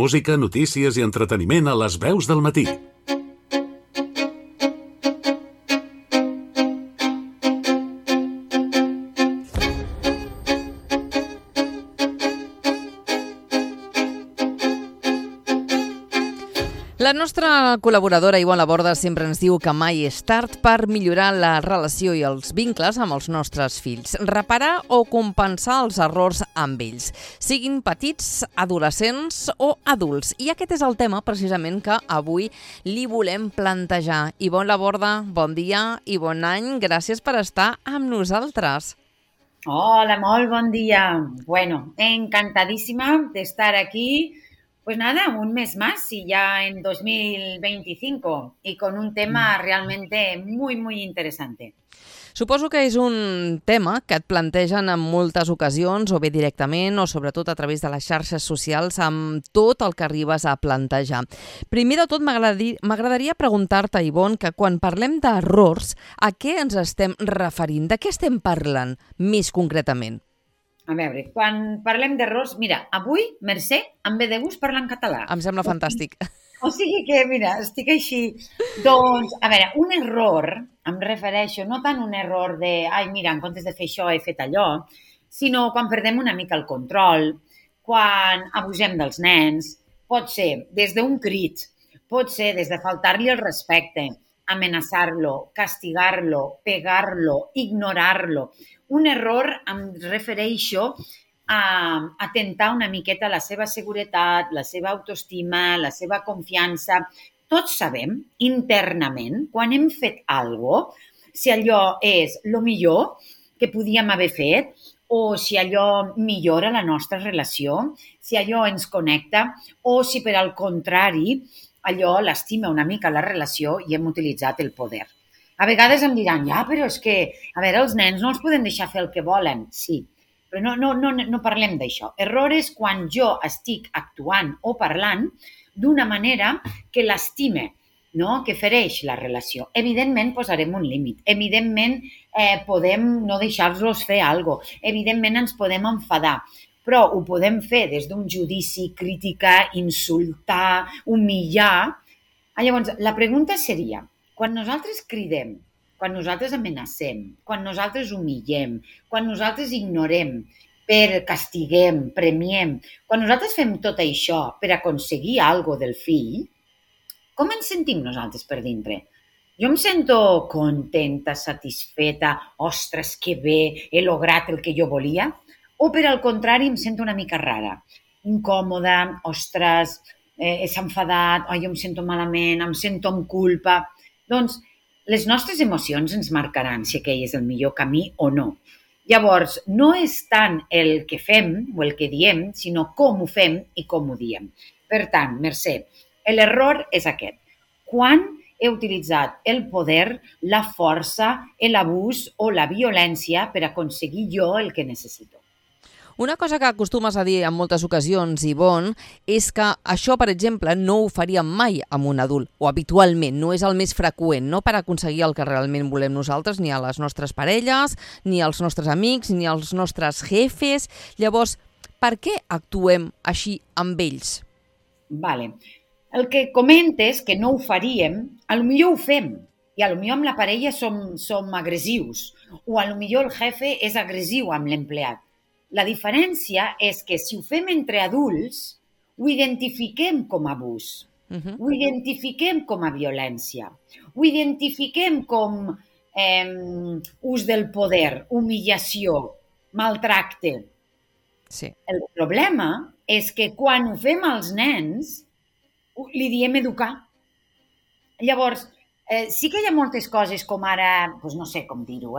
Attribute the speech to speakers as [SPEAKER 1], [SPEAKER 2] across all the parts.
[SPEAKER 1] Música, notícies i entreteniment a les veus del matí.
[SPEAKER 2] La nostra col·laboradora Ivonne Laborda sempre ens diu que mai és tard per millorar la relació i els vincles amb els nostres fills, reparar o compensar els errors amb ells, siguin petits, adolescents o adults. I aquest és el tema precisament que avui li volem plantejar. Ivonne Laborda, bon dia i bon any. Gràcies per estar amb nosaltres.
[SPEAKER 3] Hola, molt bon dia. Bueno, encantadísima de estar aquí. Pues nada, un mes más y ya en 2025 y con un tema realmente muy, muy interesante.
[SPEAKER 2] Suposo que és un tema que et plantegen en moltes ocasions, o bé directament, o sobretot a través de les xarxes socials, amb tot el que arribes a plantejar. Primer de tot, m'agradaria preguntar-te, Ivonne, que quan parlem d'errors, a què ens estem referint? De què estem parlant més concretament?
[SPEAKER 3] A veure, quan parlem d'errors, mira, avui, Mercè, em ve de gust parlar en català.
[SPEAKER 2] Em sembla fantàstic.
[SPEAKER 3] O sigui que, mira, estic així. Doncs, a veure, un error, em refereixo, no tant un error de, ai, mira, en comptes de fer això he fet allò, sinó quan perdem una mica el control, quan abusem dels nens, pot ser des d'un crit, pot ser des de faltar-li el respecte, amenaçar-lo, castigar-lo, pegar-lo, ignorar-lo. Un error em refereixo a atentar una miqueta la seva seguretat, la seva autoestima, la seva confiança. Tots sabem internament, quan hem fet alguna cosa, si allò és el millor que podíem haver fet o si allò millora la nostra relació, si allò ens connecta o si, per al contrari, allò lastima una mica la relació i hem utilitzat el poder. A vegades em diran, ja, però és que, a veure, els nens no els poden deixar fer el que volen. Sí, però no parlem d'això. Error és quan jo estic actuant o parlant d'una manera que l'estime, no? Que fereix la relació. Evidentment, posarem un límit. Evidentment, podem no deixar-los fer alguna cosa. Evidentment, ens podem enfadar. Però ho podem fer des d'un judici, criticar, insultar, humillar. Llavors, la pregunta seria, quan nosaltres cridem, quan nosaltres amenacem, quan nosaltres humillem, quan nosaltres ignorem, castiguem, premiem, quan nosaltres fem tot això per aconseguir alguna cosa del fill, com ens sentim nosaltres per dintre? Jo em sento contenta, satisfeta, ostres, que bé, he lograt el que jo volia? O per al contrari em sento una mica rara, incòmoda, ostres, s'ha enfadat, jo em sento malament, em sento amb culpa. Doncs les nostres emocions ens marcaran si aquell és el millor camí o no. Llavors, no és tant el que fem o el que diem, sinó com ho fem i com ho diem. Per tant, Mercè, l'error és aquest. Quan he utilitzat el poder, la força, l'abús o la violència per aconseguir jo el que necessito.
[SPEAKER 2] Una cosa que acostumes a dir en moltes ocasions, Ivonne, és que això, per exemple, no ho faríem mai amb un adult, o habitualment, no és el més freqüent, no per aconseguir el que realment volem nosaltres, ni a les nostres parelles, ni als nostres amics, ni als nostres jefes. Llavors, per què actuem així amb ells?
[SPEAKER 3] Vale. El que comentes que no ho faríem, potser ho fem, i potser amb la parella som agressius, o potser el jefe és agressiu amb l'empleat. La diferència és que si ho fem entre adults, ho identifiquem com a abús, ho identifiquem com a violència, ho identifiquem com ús del poder, humillació, maltracte.
[SPEAKER 2] Sí.
[SPEAKER 3] El problema és que quan ho fem als nens, li diem educar. Llavors, sí que hi ha moltes coses com ara, doncs no sé com dir-ho,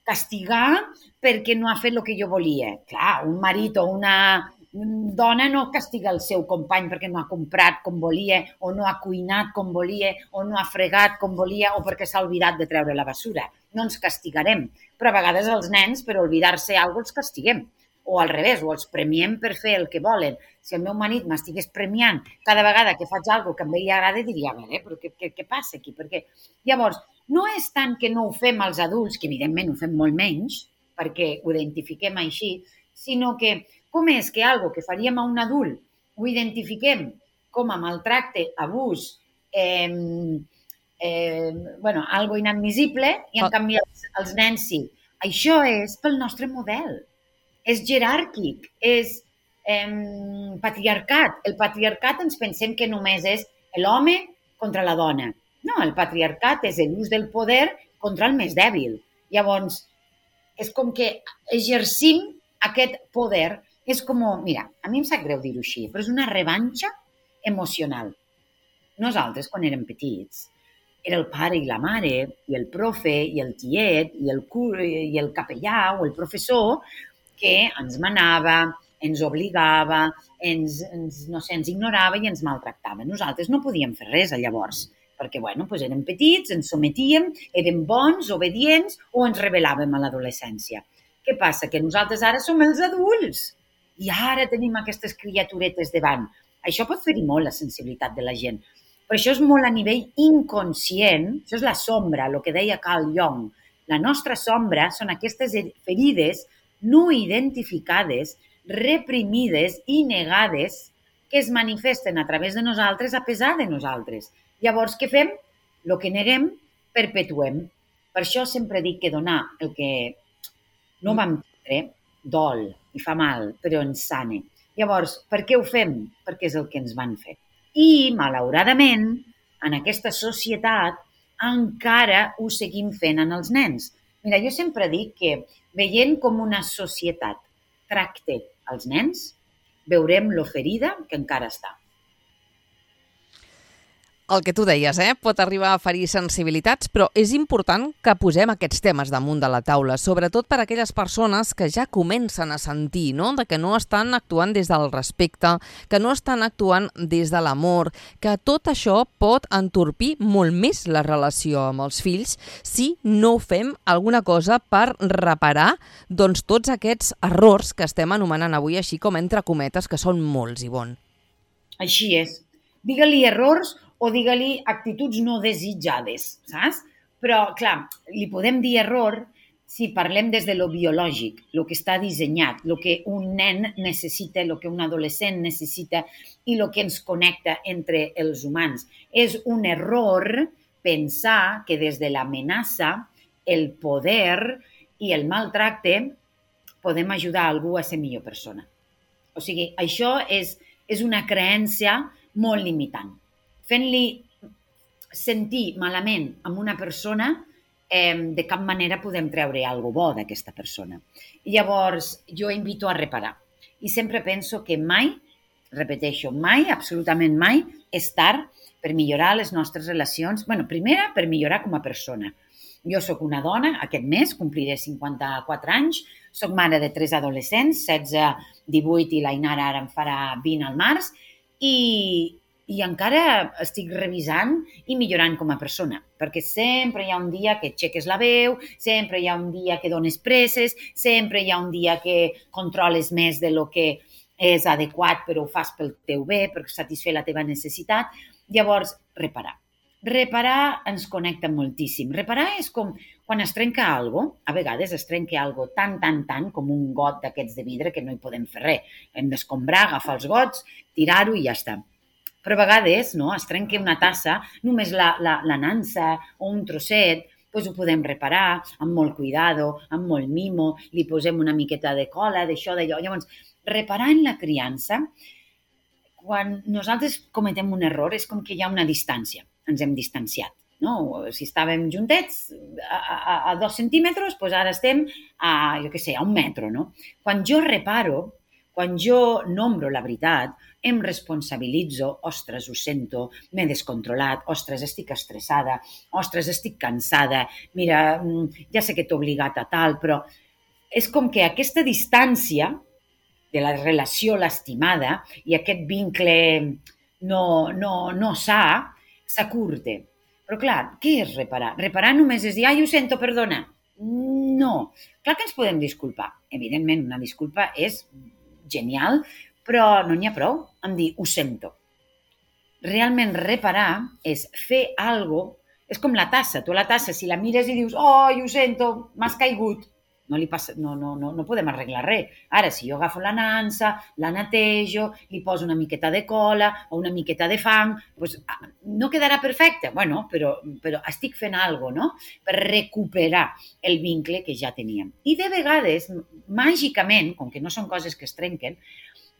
[SPEAKER 3] castigar perquè no ha fet el que jo volia. Clar, un marit o una dona no castiga el seu company perquè no ha comprat com volia o no ha cuinat com volia o no ha fregat com volia o perquè s'ha oblidat de treure la basura. No ens castigarem. Però a vegades els nens, per oblidar-se alguna cosa, els castiguem. O al revés, o els premiem per fer el que volen. Si el meu marit m'estigués premiant cada vegada que faig alguna cosa que a ell li agrada, diria, a veure, però què passa aquí? Perquè llavors, no és tant que no ho fem als adults, que evidentment ho fem molt menys, perquè ho identifiquem així, sinó que com és que algo que faríem a un adult ho identifiquem com a maltracte, abús, algo inadmissible, i en canvi els nens sí. Això és pel nostre model. És jeràrquic, és patriarcat. El patriarcat ens pensem que només és l'home contra la dona. No, el patriarcat és l'ús del poder contra el més dèbil. Llavors, és com que exercim aquest poder. És com, mira, a mi em sap greu dir-ho així, però és una revanxa emocional. Nosaltres, quan érem petits, era el pare i la mare, i el profe, i el tiet, i el capellà o el professor que ens manava, ens obligava, ens ignorava i ens maltractava. Nosaltres no podíem fer res llavors, perquè érem petits, ens sometíem, érem bons, obedients o ens rebel·làvem a l'adolescència. Què passa? Que nosaltres ara som els adults i ara tenim aquestes criaturetes davant. Això pot ferir molt la sensibilitat de la gent, però això és molt a nivell inconscient, això és la sombra, el que deia Carl Jung. La nostra sombra són aquestes ferides no identificades, reprimides i negades que es manifesten a través de nosaltres a pesar de nosaltres. Llavors, què fem? El que neguem, perpetuem. Per això sempre dic que donar el que no vam tindre dol i fa mal, però ens sane. Llavors, per què ho fem? Perquè és el que ens van fer. I, malauradament, en aquesta societat encara ho seguim fent en els nens. Mira, jo sempre dic que veient com una societat tracta els nens, veurem lo ferida que encara està.
[SPEAKER 2] El que tu deies, pot arribar a ferir sensibilitats, però és important que posem aquests temes damunt de la taula, sobretot per a aquelles persones que ja comencen a sentir, no?, de que no estan actuant des del respecte, que no estan actuant des de l'amor, que tot això pot entorpir molt més la relació amb els fills si no fem alguna cosa per reparar tots aquests errors que estem anomenant avui així com entre cometes, que són molts, Ivonne.
[SPEAKER 3] Així és. Digue-li errors o digue-li actituds no desitjades, saps? Però, clar, li podem dir error si parlem des de lo biològic, el que està dissenyat, el que un nen necessita, el que un adolescent necessita i el que ens connecta entre els humans. És un error pensar que des de l'amenaça, el poder i el maltracte podem ajudar algú a ser millor persona. O sigui, això és una creença molt limitant. Fent-li sentir malament amb una persona, de cap manera podem treure alguna bo d'aquesta persona. Llavors, jo invito a reparar. I sempre penso que mai, repeteixo, mai, absolutament mai, és tard per millorar les nostres relacions. Primera, per millorar com a persona. Jo sóc una dona, aquest mes compliré 54 anys, sóc mare de 3 adolescents, 16, 18 i l'Ainara ara en farà 20 al març, i encara estic revisant i millorant com a persona, perquè sempre hi ha un dia que aixeques la veu, sempre hi ha un dia que dones presses, sempre hi ha un dia que controles més de lo que és adequat, però ho fas pel teu bé, per satisfer la teva necessitat. Llavors, reparar. Reparar ens connecta moltíssim. Reparar és com quan es trenca alguna cosa, a vegades es trenca alguna cosa tant com un got d'aquests de vidre que no hi podem fer res. Hem d'escombrar, agafar els gots, tirar-ho i ja està. Però a vegades es trenca una tassa, només la nansa o un trosset, doncs ho podem reparar amb molt cuidado, amb molt mimo, li posem una miqueta de cola, d'això, d'allò. Llavors, reparar en la criança, quan nosaltres cometem un error, és com que hi ha una distància, ens hem distanciat. No? Si estàvem juntets a 2 centímetres, doncs ara estem a 1 metre. No? Quan jo reparo, quan jo nombro la veritat, em responsabilitzo, ostres, ho sento, m'he descontrolat, ostres, estic estressada, ostres, estic cansada, mira, ja sé que t'he obligat a tal, però és com que aquesta distància de la relació lastimada i aquest vincle no sa, s'acurte. Però clar, què és reparar? Reparar només és dir, ai, ho sento, perdona. No. Clar que ens podem disculpar. Evidentment, una disculpa és genial, però no n'hi ha prou amb dir ho sento. Realment reparar és fer alguna cosa, és com la tassa. Tu la tassa, si la mires i dius, oh, ho sento, m'has caigut, No podem arreglar res. Ara, si jo agafo la nansa, la netejo, li poso una miqueta de cola o una miqueta de fang, doncs, no quedarà perfecte, bueno, però estic fent alguna cosa, no?, per recuperar el vincle que ja teníem. I de vegades, màgicament, com que no són coses que es trenquen,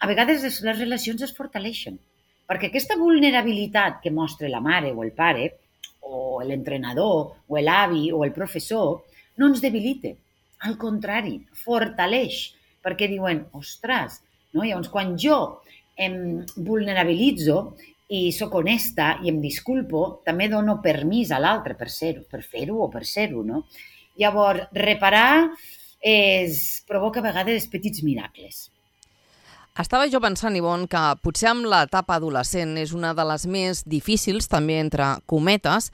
[SPEAKER 3] a vegades les relacions es fortaleixen, perquè aquesta vulnerabilitat que mostra la mare o el pare, o l'entrenador, o l'avi, o el professor, no ens debilita. Al contrari, fortaleix, perquè diuen, ostres, no? Llavors, quan jo em vulnerabilitzo i sóc honesta i em disculpo, també dono permís a l'altre per fer-ho o per ser-ho, no? Llavors, reparar provoca a vegades petits miracles.
[SPEAKER 2] Estava jo pensant, Ivonne, que potser amb l'etapa adolescent és una de les més difícils, també entre cometes,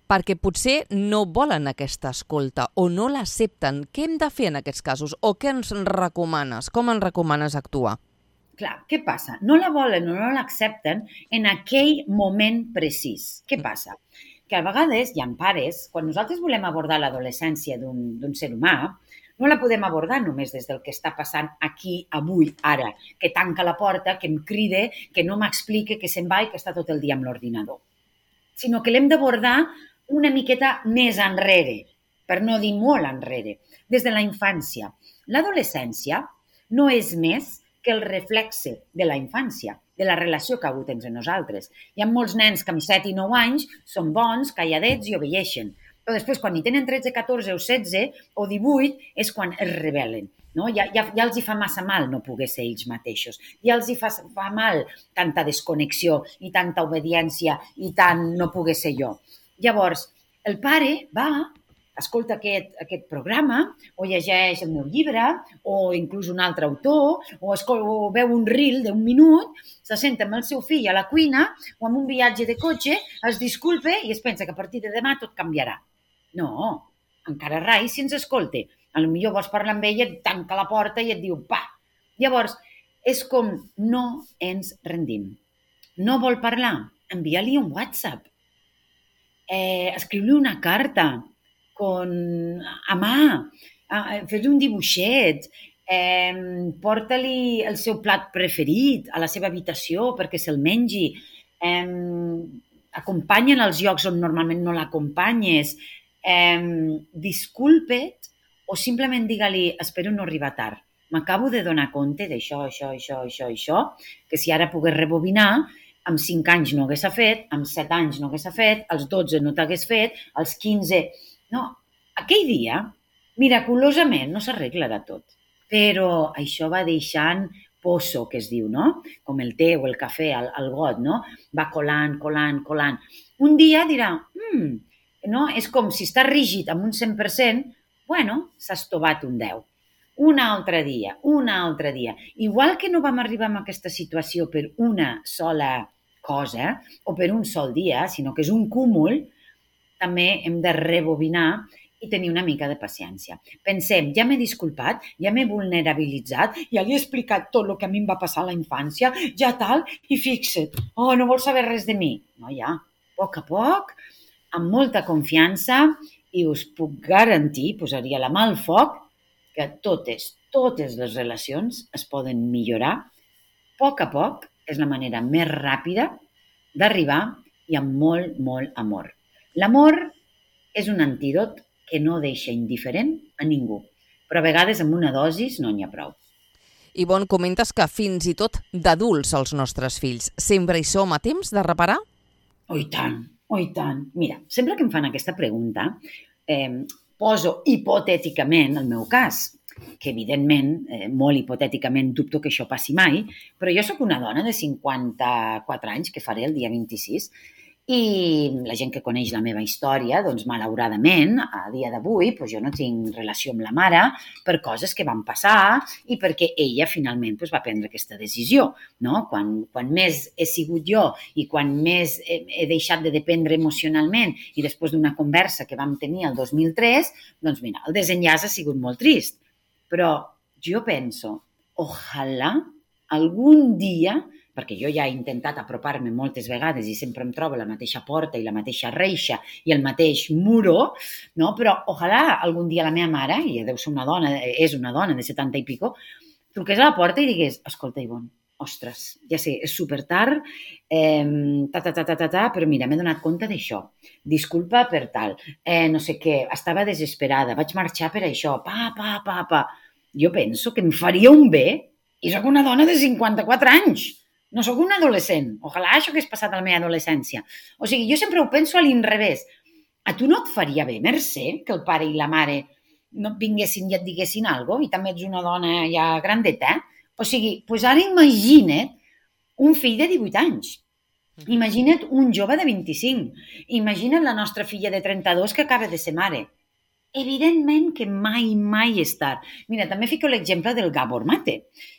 [SPEAKER 2] perquè potser no volen aquesta escolta o no l'accepten. Què hem de fer en aquests casos? O què ens recomanes? Com ens recomanes actuar?
[SPEAKER 3] Clar, què passa? No la volen o no l'accepten en aquell moment precís. Què passa? Que a vegades hi ha pares, quan nosaltres volem abordar l'adolescència d'un ser humà, no la podem abordar només des del que està passant aquí, avui, ara, que tanca la porta, que em crida, que no m'explica, que se'n va i que està tot el dia amb l'ordinador. Sinó que l'hem d'abordar una miqueta més enrere, per no dir molt enrere, des de la infància. L'adolescència no és més que el reflexe de la infància, de la relació que ha hagut entre nosaltres. Hi ha molts nens que amb 7 i 9 anys són bons, calladets i obeixen. Però després, quan hi tenen 13, 14 o 16 o 18, és quan es rebel·len. No? Ja els hi fa massa mal no poder ser ells mateixos. Ja els hi fa mal tanta desconnexió i tanta obediència i tant no poder ser jo. Llavors, el pare va, escolta aquest programa o llegeix el meu llibre o inclús un altre autor o veu un reel d'un minut, se senta amb el seu fill a la cuina o en un viatge de cotxe, es disculpa i es pensa que a partir de demà tot canviarà. No, encara rai si ens escolta. Potser vols parlar amb ella, et tanca la porta i et diu pa. Llavors, és com no ens rendim. No vol parlar? Envia-li un WhatsApp. Escriu-li una carta a mà. Fes-li un dibuixet. Porta-li el seu plat preferit a la seva habitació perquè se'l mengi. Acompanya'l als llocs on normalment no l'acompanyes. Disculpa't o simplement digue-li espero no arribar tard. M'acabo de donar compte d'això, això, que si ara pogués rebobinar, amb 5 anys no hagués fet, amb 7 anys no hagués fet, als 12 no t'hagués fet, als 15... No, aquell dia, miraculosament, no s'arreglarà tot. Però això va deixant pozo, que es diu, no? Com el té o el cafè al got, no? Va colant. Un dia dirà, no? És com si està rígid amb un 100%, bueno, s'ha estovat un 10. Un altre dia. Igual que no vam arribar a aquesta situació per una sola cosa o per un sol dia, sinó que és un cúmul, també hem de rebobinar i tenir una mica de paciència. Pensem, ja m'he disculpat, ja m'he vulnerabilitzat, ja li he explicat tot el que a mi em va passar a la infància, ja tal, i fixa't, no vol saber res de mi. No, ja, a poc, amb molta confiança, i us puc garantir, posaria la mà al foc, que totes les relacions es poden millorar. A poc és la manera més ràpida d'arribar i amb molt, molt amor. L'amor és un antídot que no deixa indiferent a ningú, però a vegades amb una dosis no n'hi ha prou.
[SPEAKER 2] Ivonne, comentes que fins i tot d'adults els nostres fills. Sempre hi som a temps de reparar?
[SPEAKER 3] Oh, i tant. Mira, sempre que em fan aquesta pregunta, poso hipotèticament el meu cas, que evidentment, molt hipotèticament, dubto que això passi mai, però jo sóc una dona de 54 anys, que faré el dia 26, i la gent que coneix la meva història, doncs malauradament, a dia d'avui, doncs jo no tinc relació amb la mare per coses que van passar i perquè ella finalment va prendre aquesta decisió. No? Quan més he sigut jo i quan més he deixat de dependre emocionalment i després d'una conversa que vam tenir el 2003, doncs mira, el desenllaç ha sigut molt trist. Però jo penso, ojalà algun dia perquè jo ja he intentat apropar-me moltes vegades i sempre em trobo la mateixa porta i la mateixa reixa i el mateix muro, no? Però ojalà algun dia la meva mare, i deu ser una dona, és una dona de 70 i pico, truqués a la porta i digués, escolta, Ivonne, ostres, ja sé, és supertard, però mira, m'he donat compte d'això, disculpa per tal, no sé què, estava desesperada, vaig marxar per això, pa. Jo penso que em faria un bé, i sóc una dona de 54 anys, no sóc un adolescent. Ojalà això hagués passat a la meva adolescència. O sigui, jo sempre ho penso a l'inrevés. A tu no et faria bé, Mercè, que el pare i la mare no et vinguessin i et diguessin alguna cosa, i també ets una dona ja grandeta, O sigui, doncs ara imagina't un fill de 18 anys. Imagina't un jove de 25. Imagina't la nostra filla de 32 que acaba de ser mare. Evidentment que mai és tard. Mira, també fico l'exemple del Gabor Mate.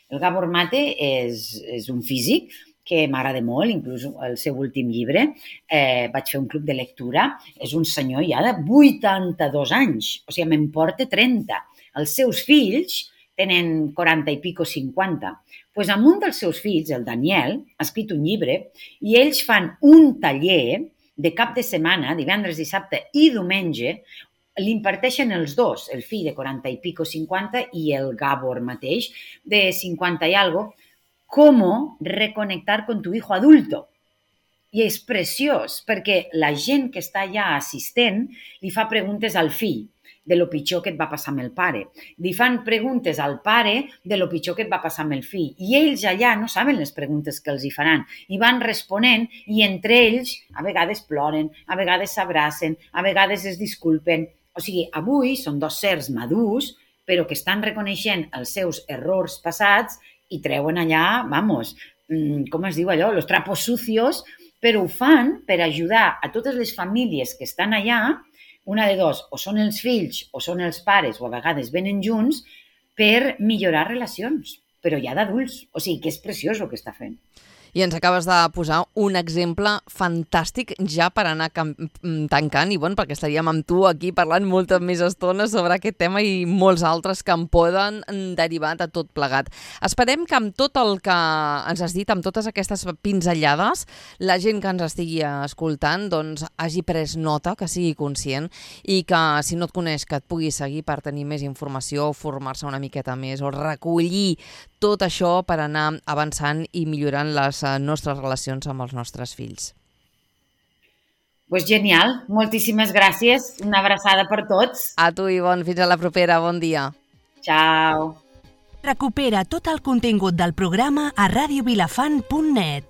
[SPEAKER 3] El Gabor Mate és un físic que m'agrada molt, inclús el seu últim llibre, vaig fer un club de lectura, és un senyor ja de 82 anys, o sigui, me'n porta 30. Els seus fills tenen 40 i pico, 50. Doncs amb un dels seus fills, el Daniel, ha escrit un llibre i ells fan un taller de cap de setmana, divendres, dissabte i diumenge, l'imparteixen els dos, el fill de 40 i pico, 50 i el Gabor mateix, de 50 i algo, cómo reconectar con tu hijo adulto. I és preciós, perquè la gent que està allà assistent li fa preguntes al fill de lo pitjor que et va passar amb el pare. Li fan preguntes al pare de lo pitjor que et va passar amb el fill. I ells allà no saben les preguntes que els hi faran. I van responent i entre ells a vegades ploren, a vegades s'abracen, a vegades es disculpen. O sigui, avui són dos sers madurs, però que estan reconeixent els seus errors passats i treuen allà, vamos, com es diu allò, los trapos sucios, però ho fan per ajudar a totes les famílies que estan allà, una de dos, o són els fills o són els pares, o a vegades venen junts, per millorar relacions, però ja d'adults. O sigui, que és preciós el que està fent.
[SPEAKER 2] I ens acabes de posar un exemple fantàstic ja per anar tancant, Ivonne, perquè estaríem amb tu aquí parlant molta més estona sobre aquest tema i molts altres que en poden derivar de tot plegat. Esperem que amb tot el que ens has dit, amb totes aquestes pinzellades, la gent que ens estigui escoltant doncs, hagi pres nota, que sigui conscient i que si no et coneix que et pugui seguir per tenir més informació, formar-se una miqueta més o recollir tot això per anar avançant i millorant les nostres relacions amb els nostres fills.
[SPEAKER 3] Pues genial, moltíssimes gràcies, una abraçada per tots.
[SPEAKER 2] A tu, Ivonne, fins a la propera, bon dia.
[SPEAKER 3] Ciao.
[SPEAKER 4] Recupera tot el contingut del programa a radiovilafant.net.